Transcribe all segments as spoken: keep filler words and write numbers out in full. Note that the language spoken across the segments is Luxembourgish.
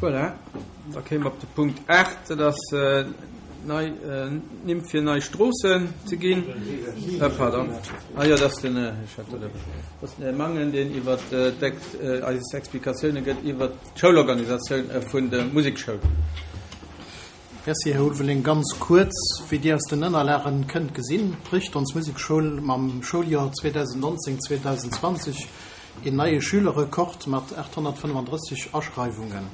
Voilà, da kéime mer op de Punkt aacht, dat ass nei Nimm fir nei Stroossen ze ginn. Pardon, ah jo, dat ass den, ech hat dat dat ass den Här Mangen, deen iwwer eis Explikatioune gëtt iwwer d'Schoulorganisatioun vun der Musekschoul. Merci, Här Ulveling. Ganz kuerz, Wéi Dir aus den Ënnerlagen kënnt gesinn, brécht ons Musekschoul mam Schouljoer zweedausendnonzéng, zweedausendzwanzeg een neie Schülerrekord mat aathonnertfënnefandrësseg Aschreiwungen.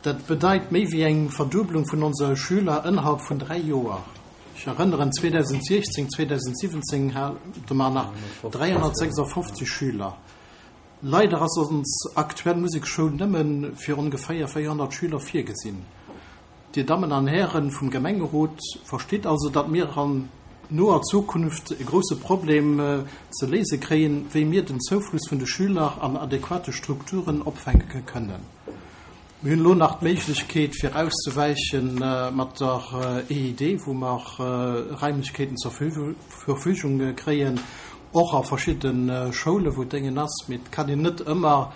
Dat bedeit méi wéi eng Verduebelung vun onse Schüler ënnerhalb vun dräi Joer. Ech erënneren, zweedausendsechzéng, zweedausensiwwenzéng hate mer nach dräihonnertsechsafofzeg Schüler. Leider ass ons aktuell Musekschoul nëmme fir ongeféier véierhonnert Schüler virgesinn. Dir Dammen an Hären vum Gemengerot, verstitt also, datt mir an noer Zukunft e grousse Problem ze léise kréien, wéi mir den Zoufluss vun de Schüler an adequate Strukturen opfänke kënnen. Mir hunn elo nach d'Méiglechkeet, fir auszewäiche mat der E I D, wou mer Raimlechkeeten zur Verfügung kréien, och a verschidde Schoule wou Déngen ass. Mee et kann een net ëmmer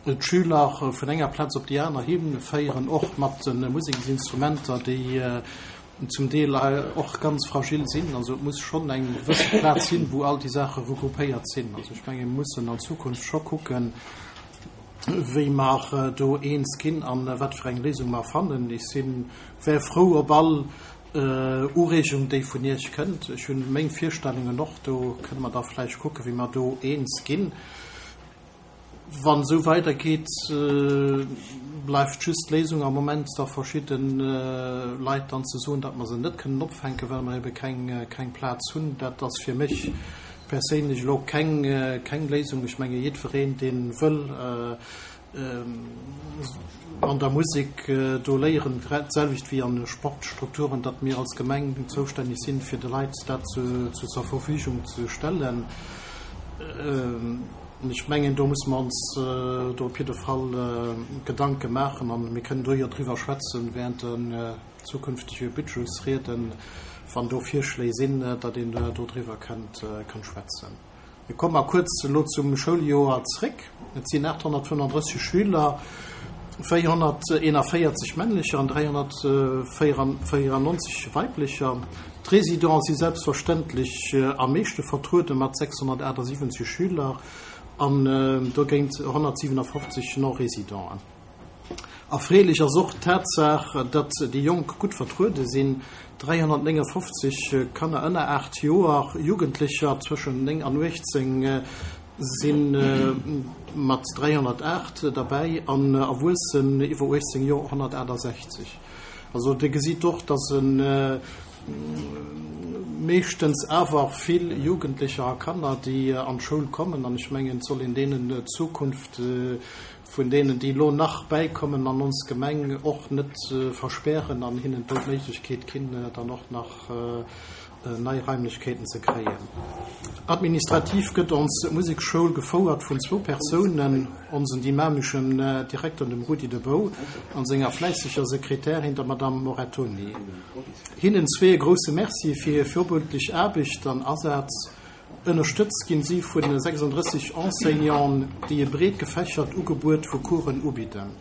d'Schüler vun enger Plaz op déi aner hinféieren, och mat de Museksinstrumenter, déi zum Deel och ganz fragil sinn. Also et muss schonn eng gewësse Plaz sinn, wou all déi Saache regroupéiert sinn. Also ech menge mir mussen an Zukunft scho kucken, wéi mer do eens ginn an wat fir eng Léisung mer fannen. Ech sinn wär frou op all Ureegung, déi vun Iech kënnt. Ech hunn meng Virstellungen och, do kënne mer da vläicht kucken, wéi mer do eens ginn. Wann esou weidergeet, bleift just d'Léisung am Moment, da verschidde Leit dann ze soen, datt mer se net kënnen opfänken, well mer ebe keng keng Plaz hunn. Dat ass fir mech perséinlech elo keng keng Léisung. Ech menge jiddwereen, dee wëll an der Musek do léieren, grad d'selwecht wéi an de Sportstrukturen, datt mir als Gemeng zoustänneg sinn, fir de Leit dat zu zur Verfügung ze stellen. Ech mengen, do musse mer ons do op jidde Fall Gedanke maachen an mir kënnen do jo driwwer schwätzen während den zukünftege Budgetsrieden, wann do Virschléi sinn, datt een do driwwer kënnt schwätzen. Mir komme mar kuerz elo zum Schouljoer zréck. Et sinn aathonnertfënnefandrësseg Schüler, véierhonnerteenavéierzeg männlecher an dräihonnertvéierannonzeg weiblecher. D'Résidenten si selbstverständlech am meeschte vertruede mat sechshonnertaachtsiwwenzeg Schüler an dogéint honnertsiwenafofzeg Non-Résidenten. Erfreelech ass och d'Tatsaach, datt déi Jonk gutt vertruede sinn, dräihonnertnéngafofzeg Kanner ënner aacht Joer, Jugendlecher zwëschen néng an uechtzéng si mat dräihonnertaacht derbäi an Erwuessen iwwer uechtzéng Joer honnertaachtasechzeg. Also Dir gesitt och, datt e meeschtens awer vill Jugendlecher a Kanner, déi an d'Schoul kommen, an ech mengen, et soll een deenen d'Zukunft vun deenen, déi elo nach bäikommen an ons Gemeng, och net verspären an hinnen do d'Méiglechkeet ginn, dann och nach nei Raimlechkeeten ze kréien. Administrativ gëtt ons Musekschoul gefouert vun zwou Persounen, onsen dynameschen Direkter, dem Rudi De Bouw, an senger fläisseger Sekretärin, der Madame Morettoni. Hinnen zwee e grousse Merci fir hir virbildlech Aarbecht an Asaz. Ënnerstëtzt ginn si vu sechsandrësseg Enseignanten, déi e breet gefächert Ugebuet vu Coursen ubidden.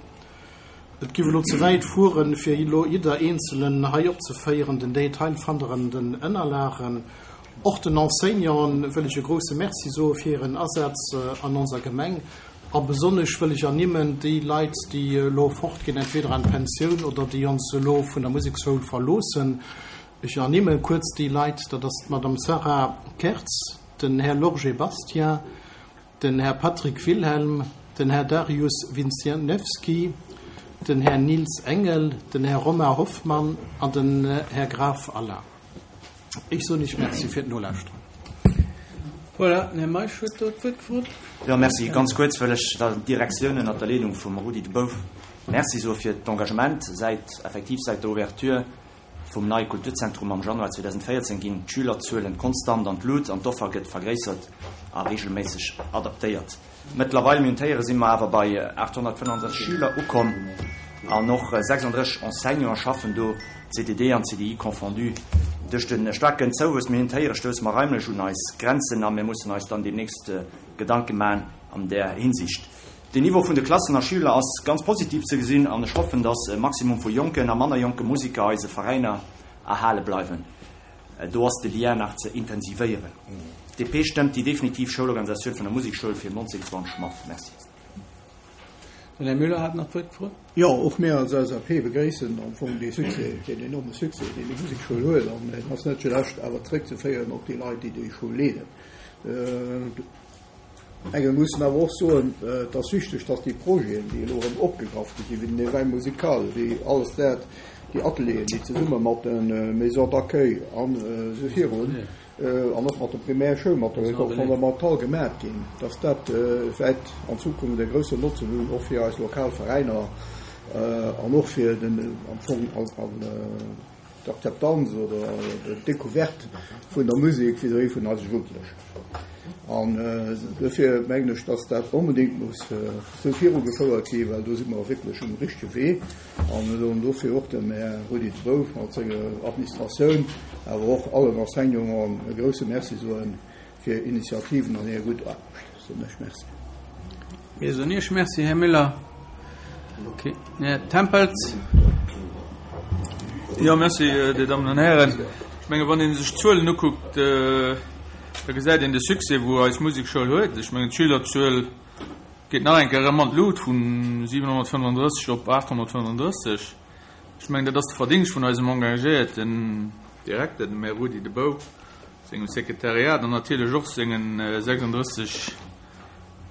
Et giff elo ze wäit fueren, fir elo jidder eenzelen hei opzeféieren. Den Detail fannt der an den Ënnerlagen. Och den Enseignanten wëll ech e grousse Merci soe fir hiren Asaz an onser Gemeng. A besonnesch wëll ech ernimmen déi Leit, déi elo fortginn, entweder an d'Pensioun oder déi ons elo vun der Musekschoul verloossen. Ech ernimme kuerz déi Leit, dat ass d'Madame Sarah Kertz, den Här Lorgé Bastien, den Här Patrick Wilhelm, den Här Darius Winsniewski, den Här Nils Engel, den Här Romain Hoffmann an den Här Graf Alain. Ech soen Iech Merci fir d'Nolauschteren. Voilà, den Här Meisch huet do d'Wuert gefrot. Jo, merci. Ganz kuerz wëll ech der Direktioun ënnert der Leedung vum Rudi De Bouw Merci soe fir d'Engagement. Säit, effektiv säit der Ouverture vum neie Kulturzentrum am Januar zweedausendvéierzéng ginn d'Schülerzuelen konstant an d'Lut an d'Offer gëtt vergréissert a reegelméisseg adaptéiert. Mëttlerweil, mir hunn d'Héiere, si mer awer bei aathonnertfënnefandrësseg Schüler ukomm an och sechsandrësseg Enseignanten schaffen do, C D D an C D I confondu. Duerch de staarken Zouwuess, mir hunn d'Héiere, stousse mer raimlech un eis Grenzen a mir mussen eis dann deemnächst Gedanke maachen an där Hinsicht. Den Niveau vun de Klassen a Schüler ass ganz positiv ze gesinn an ech hoffen, dass e Maximum vu jonken a manner jonke Musiker eise Veräiner erhale bleiwen. Do ass de Lien nach ze intensivéieren. D P stëmmt déi definitiv Schoulorganisatioun vun der Musekschoul fir neunzehn zwanzeg mat. Merci. Den Här Müller hat nach d'Wuert gefrot. Jo, och mir als L S A P begréissen am Fong dee Succès, deen enorme Succès, deen déi Musekschoul huet, an en ass net zulescht awer zréckzeféieren op déi Leit, déi déi Schoul leeden. Engem mussen awer och soen, et ass wichteg, dass déi Projeten, déi elo erëm opgegraff gi sinn, wéi den Éveil musical, wéi alles dat, déi Atelieren, déi zesumme mat de Maisons d'accueil an esou virun, an och mat der Primärschoul, mat der École fondamentale gemaach ginn, dass dat wäert an Zukunft e groussen Notzen hunn, och fir eis lokal Veräiner an och fir den am Fong d'Akzeptanz oder d'Decouverte vun der Musek vis-à-vis vun eise Jugendlechen. An dofir mengen ech, dass dat onbedéngt muss esou virugefouert ginn, well do si mer wierklech um richtege Wee. An soen dofir och dem Här Rudi De Bouf mat senger Administratioun, awer och allen Enseignanten e grousse Merci soen fir Initiativen an hir gutt Aarbecht. Soen ech Merci. Mir soen Iech Merci, Här Müller. Okay. Här Tempels. Jo, merci, Dir Dammen an Hären. Ech menge wann ee sech d'Zuelen ukuckt, da gesäit een de Succès, wou eis Musekschoul huet. Ech mengen d'Schülerzuel geet nach eng Kéier erëm an d'Lut vun siwenhonnertfënnefandrësseg op aathonnertfënnefandrësseg. Ech mengen, dat ass de Verdingscht vun eisem engagéierten Direkter, dem Här Rudi De Bouw, sengem Sekretariat an natierlech och sengen sechsandrësseg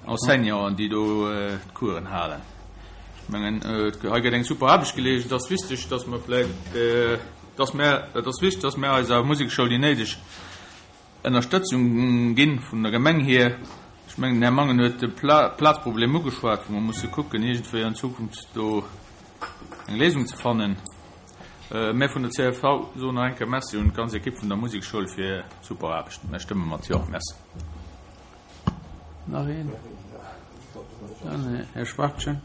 Enseignanten, déi do d'Coursen halen. Ech mengen, hei gëtt eng super Aarbecht geleescht. Et ass wichteg, dass mer vläicht, dass mer, et ass wichteg, dass mer eiser Musekschoul déi néideg Ënnerstëtzung ginn vun der Gemeng hier. Ech mengen, den Här Mangen huet de Plazproblem ugeschwat, wou mer musse kucken, iergendwéi an Zukunft do eng Léisung ze fannen. Mir vun der C S V soen nach eng Kéier Merci un d'ganz Ekipp vun der Musekschoul fir super Aarbecht. Mir stëmme mat Jo. Merci. Nach een? Dann Här Schwartchen.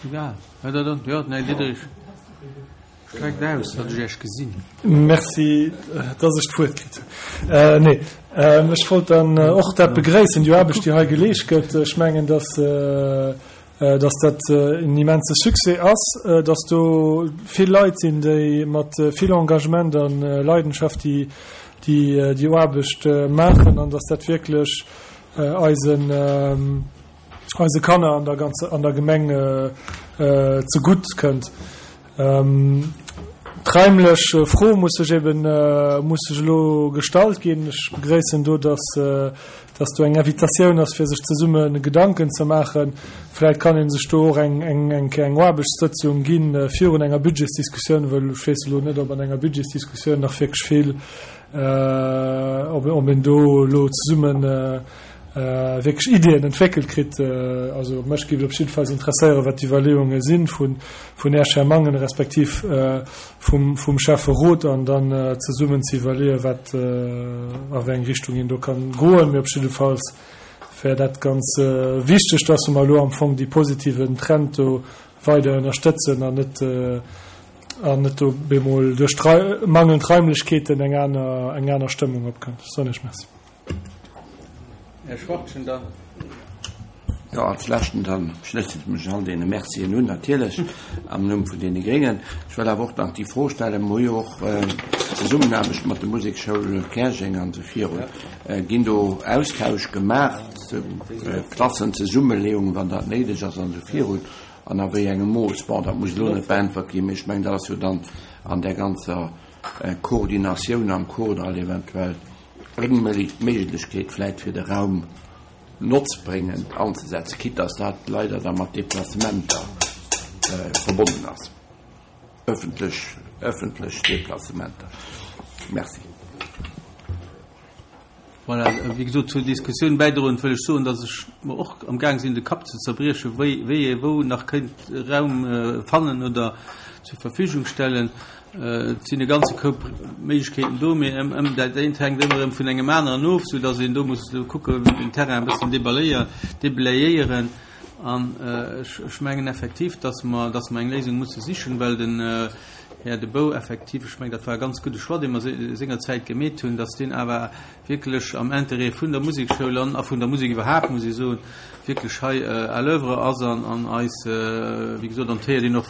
Egal. Ja, da, da, ja, nee, Diderich. Streckt aus, dat ech Iech gesinn. Merci, dass ech d'Wuert kritt hunn. Äh, nee, ähm, ech wollt dann äh, och dat begréissen, déi Aarbecht, déi hei geleescht gëtt. Ech mengen, dass, äh, äh, dass dat äh, en immense Succès ass, äh, dass do vill Leit sinn, déi mat äh, vill Engagement an äh, Leidenschaft déi, déi, äh, déi Aarbecht äh, maachen an dass dat wierklech äh, eisen, ähm, eise Kanner an der ganze, an der Gemeng äh, äh, zegutt kënnt. Ähm, D'raimlech äh, Fro muss sech eben äh, muss sech elo gestallt ginn. Ech begréissen do, dass, äh, dass do eng Invitatioun ass fir sech zesumme Gedanken ze maachen. Vläicht kann een sech do och eng eng eng eng Aarbechtssëtzung ginn äh, virun enger Budgetsdiskussioun, well ech weess elo net, ob an enger Budgetsdiskussioun nach wierklech vill äh, ob, ob een do elo zesummen äh, äh, wierklech Iddien entwéckelt kritt. Äh, also mech géif op jidde Fall interesséieren, wat d'Iwwerleeunge sinn vun vun Här Mangen respektiv äh, vum, vum Schäfferot an dann äh, zesummen ze iwwerleeën, wat äh, a wéi eng Richtung een do kann goen. Mee op jidde Fall wär dat ganz äh, wichteg, dass mer elo am Fong dee positiven Trend do weider ënnerstëtzen an net äh, an net do bemol duerch mangelnd Raimlechkeeten eng aner eng aner Stëmmung opkënnt. Soen ech Merci. Här Schwartchen dann. Ja, als leschten dann schléissen ech mech all deene Mercien un, natierlech am Numm vun deene Gréngen. Ech wëll awer och nach déi Fro stellen, mer hu jo och äh, Zesummenaarbecht mat der Musekschoul Käerjeng an esou virun. Äh, ginn do Austausch gemaach, äh, Klassenzesummenleeung, wann dat néideg ass an esou virun, an a wéi engem Mooss. Bon, dat muss elo net beäntwert ginn, mee ech mengen, dat ass jo dann an der ganzer äh, Koordinatioun am Kordall eventuell eng Méiglechkeet vläicht fir de Raum notzbréngend anzesetzen, quitte dass dat leider da mat Deplacementer äh, verbonnen ass. Ëffentlech, ëffentlech Deplacementer. Merci. Voilà, wéi gesot, zur Diskussioun bäidroen wëll ech soen, dass ech mer och am Gaang sinn de Kapp ze zerbriechen, wéi, wéi ee wou nach kéint Raum äh, fannen oder zur Verfügung stellen. Äh, et sinn e ganze Koup Méiglechkeeten do, mee ëm, ëm, dat eent hänkt ëmmer erëm vun engem aneren of, sou dass een do muss kucken, den Terrain e bëssen debaléieren, deblayéieren. An äh, ech, ech mengen effektiv, dass mer, dass mer eng Léisung musse sichen, well den äh, Här De Bouw effektiv, ech mengen, dat war e ganz gudde Choix, dee mer sengerzäit gemeet hunn, dass deen awer wierklech am Interêt vun der Musekschoul an a vun der Musek iwwerhaapt, muss ee soen, wierklech hei à l'oeuvre ass an an eis, wéi gesot, an et héiert een och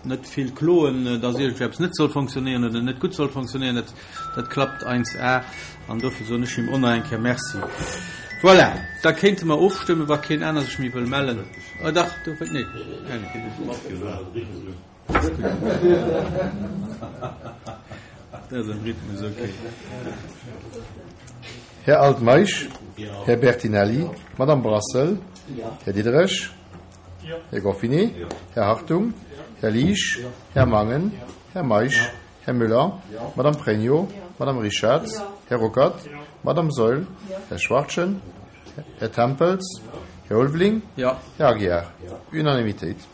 net vill Kloen, dass iergendwéi eppes net soll fonctionnéieren oder net gutt soll fonctionnéieren. Dat, dat klappt eins a an dofir soen ech him och nach eng Kéier Merci. Voilà, da kéinte mer ofstëmmen, wa keen aner sech méi wëll mellen. Oh dach, do wëllt, nee. Dat ass am Rhythmus, okay. Här Altmeisch, Här Bertinelli, Madame Brassel, Här Diderich, Här Goffinet, Här Hartung, Här Liesch, Här Mangen, Här Meisch, Här Müller, Madame Pregno, Madame Richarz, Här Ruckert, Madame Saeul, Här Schwachtgen, Här Tempels, Här Ulveling, Här Aguiar. Unanimitéit.